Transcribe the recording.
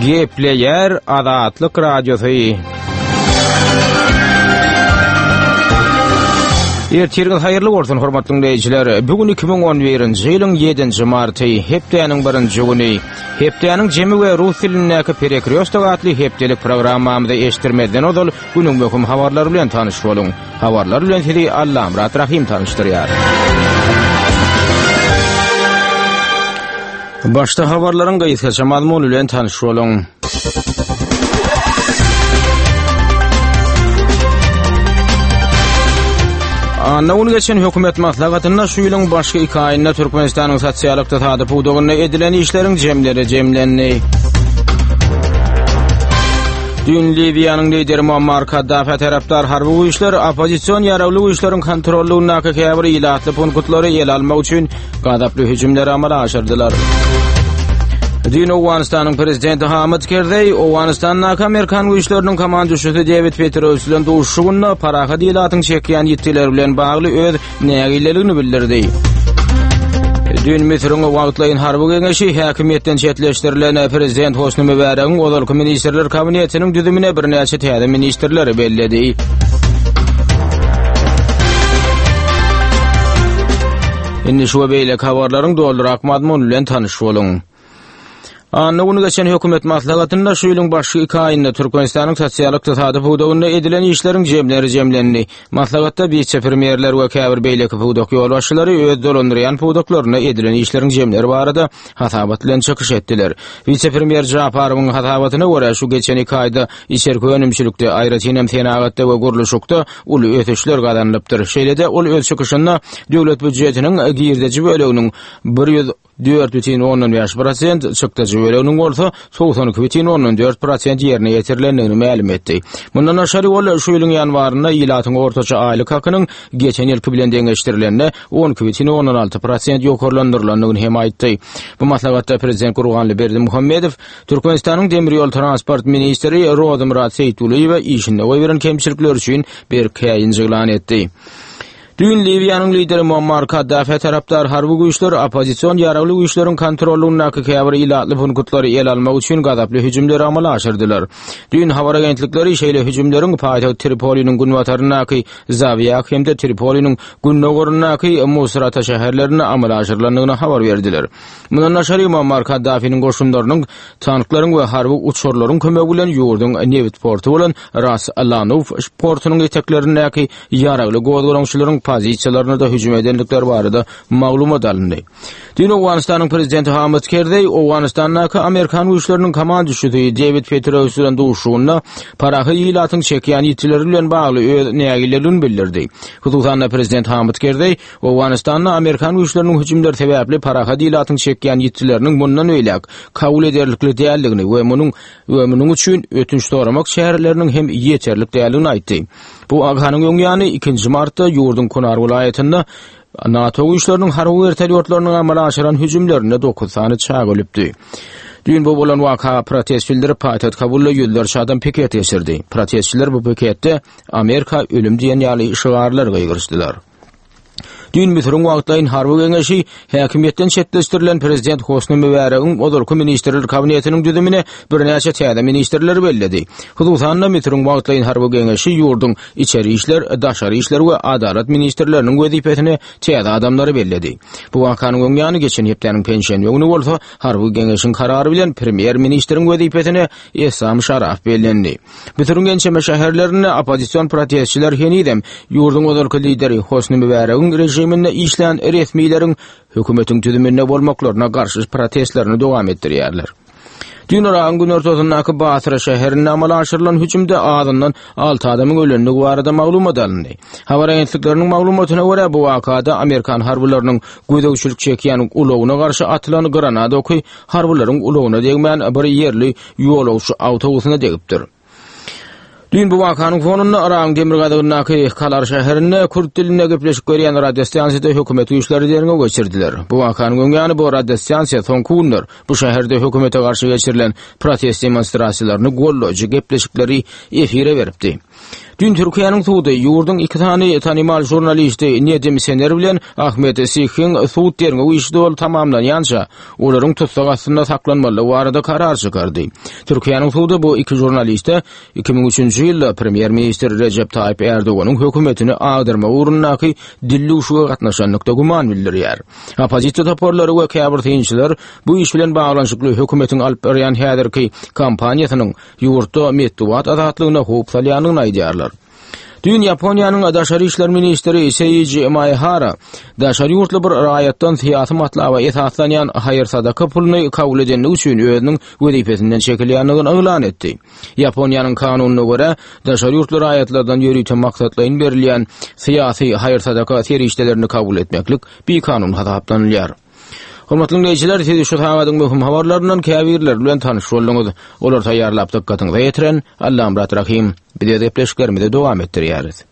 Gepleýär Azatlyk Radiosy. Ertiriňiz haýyrly bolsun, hormatly diňleýjiler. Bu gün 2011-nji ýylyň 7-nji marty, hepdäniň birinji güni. Hepdäniň jemi we rus dilindäki Perekrýostok atly hepdelik programmamyzy eşitdirmezden ozal günüň möhüm habarlary bilen tanyş boluň. Habarlar bilen sizi Allamyrat Rahym tanyşdyrýar. Başda habarlaryň gysgaça mazmuny bilen tanyş boluň. Anna güni geçen hökümet maslahatynda şu ýylyň başky iki aýynda Türkmenistanyň sosial-ykdysady pudagynda edilen işleriň jemleri jemlendi. Düýn Liwiýanyň lideri Muammar Kaddafä tarapdar harby güýçler oppozision ýaragly güýçleriň kontrollygyndaky käbir ilatly punktlary ele almak üçin gazaply hüjümleri amala aşyrdylar. Düýn Owganystanyň prezidenti Hamid Kerzeý Owganystandaky amerikan güýçleriniň komanduşysy Dewid Petraeus bilen duşuşygynda parahat ilatyň çekýän ýitgileri bilen bagly öz nägileligini bildirdi. Düýn Müsüriň wagtlaýyn harby geňeşi häkimiýetden çetleşdirilen prezident Hosni Mübäregiň ozalky ministrler kabinetiniň düzümine birnäçe täze ministrleri belledi. Indi şu we beýleki habarlaryň dolurak mazmuny bilen tanyş boluň. Anna güni geçen hökümet maslahatynda şu ýylyň başky iki aýynda Türkmenistanyň sosial-ykdysady pudagynda edilen işleriň jemleri jemlendi. Maslahatda wise-premýerler we käbir beýleki pudak ýolbaşçylary öz dolandyrýan pudaklarynda edilen işleriň jemleri barada hasabat bilen çykyş etdiler. Wise-premýer Japarowyň hasabatyna görä, şu geçen iki aýda içerki önümçilikde, aýratyn hem senagatda we gurluşykda uly ösüşler gazanylypdyr. Şeýle-de ol öz çykyşynda döwlet býujetiniň girdeji böleginiň 104,5 prosent, çykdajy böleginiň bolsa 92,4 prosent ýerine ýetirilendigini mälim etdi. Mundan daşary ol şu ýylyň ýanwarynda ilatyň ortaça aýlyk hakynyň geçen ýylky bilen deňeşdirilende 12,6 prosent ýokarlandyrylandygyny hem aýtdy. Bu maslahatda prezident Gurbanguly Berdimuhamedow Türkmenistanyň demir ýol transport ministri Rozymyrat Seýitgulyýewe işinde goýberen kemçilikleri üçin berk käýinç yglan etdi. Düýn Liwiýanyň lideri Muammar Kaddafä tarapdar harby güýçler oppozision ýaragly güýçleriň kontrollygyndaky käbir ilatly punktlary ele almak üçin gazaply hüjümleri amala aşyrdylar. Düýn habar agentlikleri şeýle hüjümleriň paýtagt Tripoliniň günbataryndaky Zawiýah hem-de Tripoliniň gündogaryndaky Musrata şäherlerinde amala aşyrylandygyny habar berdiler. Mundan daşary Muammar Kaddafiniň goşunlarynyň tanklaryň we harby uçarlaryň kömegi bilen ýurduň nebit porty bolan Ras Lanuf portunyň eteklerindäki ýaragly gozgalaňçylaryň pozisiýalaryna-da hüjüm edendikleri barada maglumat alyndy. Düýn Owganystanyň prezidenti Hamid Kerzeý Owganystandaky amerikan güýçleriniň komanduşysy Dewid Petraeus bilen duşuşygynda parahat ilatyň çekýän ýitgileri bilen bagly öz nägileligini bildirdi. Hususan-da prezident Hamid Kerzeý Owganystanda amerikan güýçleriniň hüjümleri sebäpli parahat ilatyň çekýän ýitgileriniň mundan beýläk kabul ederlikli däldigini we munuň we munuň üçin ötünç soramak çäreleriniň hem ýeterlik däldigini aýtdy. Bu wakanyň öň ýany, ikinji martda ýurduň Kunar welaýatynda NATO güýçleriniň harby wertolýotlarynyň amala aşyran hüjümlerinde dokuz sany çaga ölüpdi. Düýn bu bolan waka protest bildirip, paýtagt Kabulda ýüzlerçe adam piket geçirdi. Protestçiler bu piketde Amerika ölüm diýen ýaly şygarlar gygyryşdylar. Düýn Müsüriň wagtlaýyn harby geňeşi häkimiýetden çetleşdirilen prezident Hosni Mübäregiň ozalky ministrler kabinetiniň düzümine birnäçe täze ministrleri belledi. Hususan-da, Müsüriň wagtlaýyn harby geňeşi ýurduň içeri işler, daşary işler we adalat ministrleriniň wezipesine täze adamlary belledi. Bu wakanyň öň ýany geçen hepdäniň penşenbe güni bolsa harby geňeşiň karary bilen premýer-ministriň wezipesine Essam Şaraf bellendi. Müsüriň ençeme şäherlerinde oppozision protestçiler henizem ýurduň ozalky lideri Hosni Mübäregiň režiminde işlän resmileriň hökümetiň düzüminde bolmaklaryna garşy protestlerini dowam etdirýärler. Düýn Yragyň günortasyndaky Basra şäherinde amala aşyrylan hüjümde azyndan alty adamyň ölendigi barada maglumat alyndy. Habar agentlikleriniň maglumatyna görä, bu wakada amerikan harbylarynyň gözegçilik çekýän ulagyna garşy atylan granat oky harbylaryň ulagyna degmän, bir ýerli ýolagçy awtobusyna degipdir. Düýn bu wakanyň fonunda Yragyň demirgazygyndaky Kalar şäherinde kürt dilinde gepleşik berýän radiostansiýada hökümet güýçleri derňew geçirdiler. Bu wakanyň öň ýany bu radiostansiýa soňky günler bu şäherde hökümete garşy geçirilen protest demonstrasiýalaryny goldaýjy gepleşikleri efire beripdi. Düýn Türkiýäniň sudy ýurduň iki sany tanymal žurnalisti Nedim Sener bilen Ahmet Sihiň sud derňew işi doly tamamlanýança, olaryň tussag astynda saklanmalydygy barada karar çykardy. Türkiýäniň sudy bu iki žurnaliste 2003-nji ýylda premýer-ministr Rejep Taýyp Erdoganyň hökümetini agdarmak ugrundaky dildüwşüge gatnaşanlykda güman bildirýär. Oppozisiýa toparlary we käbir synçylar bu iş bilen baglanyşykly hökümetiň alyp barýan häzirki kampaniýasynyň ýurtda metbugat azatlygyna howp salýandygyny aýdýarlar. Düýn Ýaponiýanyň daşary işler ministri Seiji Maehara daşary ýurtly bir raýatdan syýasy matlaba esaslanýan haýyr-sadaka puluny kabul edenligi üçin özüniň wezipesinden çekilýändigini yglan etdi. Ýaponiýanyň kanunyna görä, daşary ýurtly raýatlardan ýörite maksatlaýyn berilýän syýasy haýyr-sadaka serişdelerini kabul etmeklik bikanun hasaplanylýar. Hormatly diňleýjiler, siz şu sagadyň möhüm habarlaryndan käbirleri bilen tanyş bolduňyz. Olary taýýarlap dykgatyňyza ýetiren Allamyrat Rahym. Biz öz gepleşiklerimizi dowam etdirýäris.